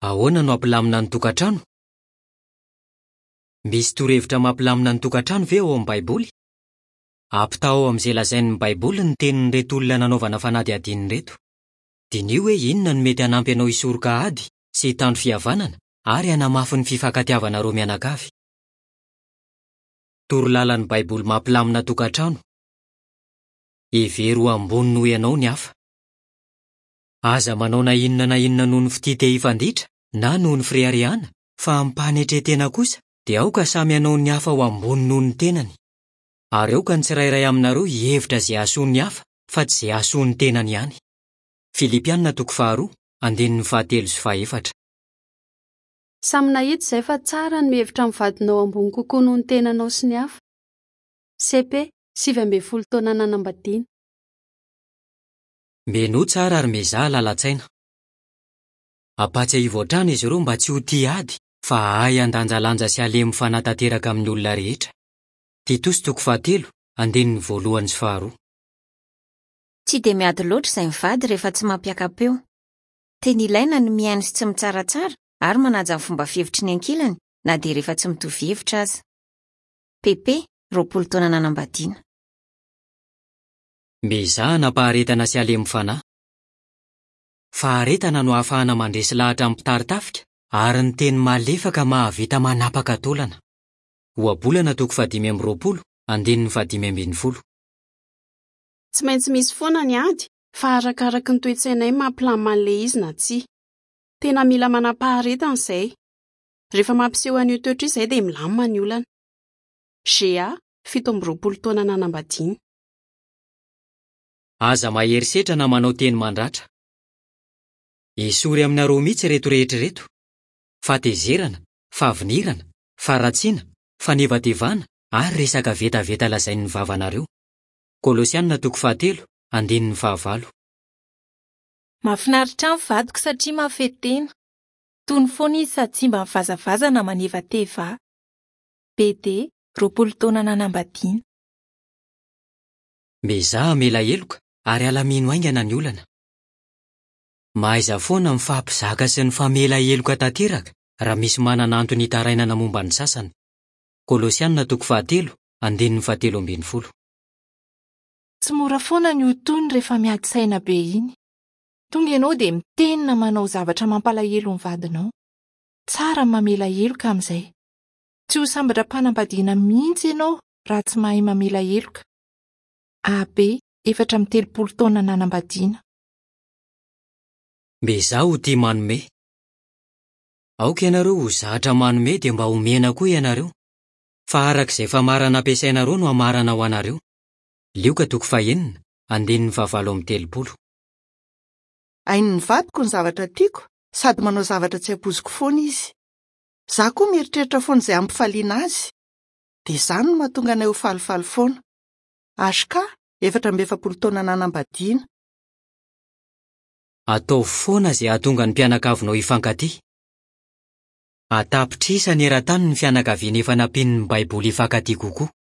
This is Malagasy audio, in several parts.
Ahoana no hampilamina ny tokantrano? Misy torohevitra mampilamina ny tokantrano ve ao amin'ny Baiboly? Ampitahao amin'izay lazain'ny Baiboly ny tenin'ireto olona nanaovana fanadihadiana ireto. Diniho hoe inona no mety hanampy anao hisoroka ady sy hitandro fihavanana ary hanamafy ny fifankatiavanareo mianakavy. Torolalan'ny Baiboly mampilamina tokantrano. Hevero ho ambony noho ianao ny hafa. Aza manao na inona na inona noho ny fitia te hifanditra na noho ny fireharehana, fa amim-panetren-tena kosa dia aoka samy hanao ny hafa ho ambony noho ny tenany. Ary aoka ny tsirairay aminareo hihevitra izay hahasoa ny hafa fa tsy izay hahasoa ny tenany ihany. Filipiana toko faharoa, andininy fahatelo sy fahefatra. Samy nahita izay fa tsara ny mihevitra ny vadinao ambony kokoa noho ny tenanao sy ny hafa. CP, 19 taona nanambadiana. Menoa tsara ary miezaha lalan-tsaina. Ampahatsiahivo hatrany izy ireo mba tsy ho tia ady fa hahay handanjalanja sy halemy fanahy tanteraka amin'ny olona rehetra. Titosy toko fahatelo, andininy voalohany sy faharoa. Tsy dia miady loatra izay mivady rehefa tsy mampiaka-peo. Tena ilaina ny mihaino sy tsy mitsaratsara ary manaja ny fomba fihevitry ny ankilany na dia rehefa tsy mitovy hevitra aza. PP, 20 taona nanambadiana. Miezaha hanam-paharetana sy halemy fanahy. Faharetana no ahafahana mandresy lahatra ny mpitari-tafika ary ny teny malefaka mahavita manapaka taolana. Ohabolana toko fahadimy amby roapolo, andininy fahadimy ambin'ny folo. Tsy maintsy misy foana ny ady, fa arakaraky ny toe-tsainay mampilamina an'ilay izy na tsia. Tena mila manam-paharetana izay. Rehefa mampiseho an'io toetra io izay dia milamina ny olana. GA, 27 taona nanambadiana. Aza mahery setra na manao teny mandratra. Esory aminareo mihitsy ireto rehetra ireto, fahatezerana, fahavinirana, faharatsiana, fanevatevana ary resaka vetaveta lazain'ny vavanareo. Kolosiana toko fahatelo, andininy fahavalo. Mahafinaritra ahy ny vadiko satria mahafehy tena. Tony foana izy sady tsy mba mivazavaza na manevateva ahy. BD, 20 taona nanambadiana. Miezaha hamela heloka ary alamino haingana ny olana. Mahaiza foana mifampizaka sy mifamela heloka tanteraka raha misy manana antony hitarainana momba ny sasany. Kolosiana toko fahatelo, andininy fahatelo ambin'ny folo. Tsy mora foana ny ho tony rehefa miady saina be iny. Tonga ianao dia miteny na manao zavatra mampalahelo ny vadinao. Tsara ny mamela heloka amin'izay. Tsy ho sambatra am-panambadiana mihitsy ianao raha tsy mahay mamela heloka. AB, 34 taona nanambadiana. Miezaha ho tia manome. Aoka ianareo ho zatra manome dia mba homena koa ianareo, fa araka izay famarana ampiasainareo no hamarana ho anareo. Lioka toko fahenina, andininy fahavalo amby telopolo. Hain'ny vadiko ny zavatra tiako sady manao zavatra tsy ampoiziko foana izy. Izaho koa mieritreritra foana izay hampifaliana azy. Dia izany no mahatonga anay ho falifaly foana. HK, 44 taona nanambadiana. Ataovy foana izay hahatonga ny mpianakavinao hifankatia. An-tapitrisany eran-tany ny fianakaviana efa nampian'ny Baiboly hifankatia kokoa.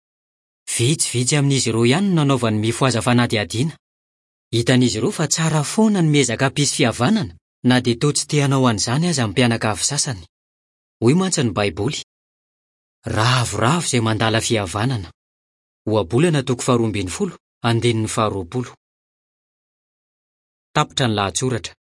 Vitsivitsy amin'izy ireo ihany no nanaovan'ny Mifohaza fanadihadiana. Hitan'izy ireo fa tsara foana ny miezaka hampisy fihavanana, na dia toa tsy te hanao an'izany aza ny mpianakavy sasany. Hoy mantsy ny Baiboly, Ravoravo izay mandala fihavanana. Ohabolana toko faharoa ambin'ny folo, andininy faharoapolo. Tapitra ny lahatsoratra.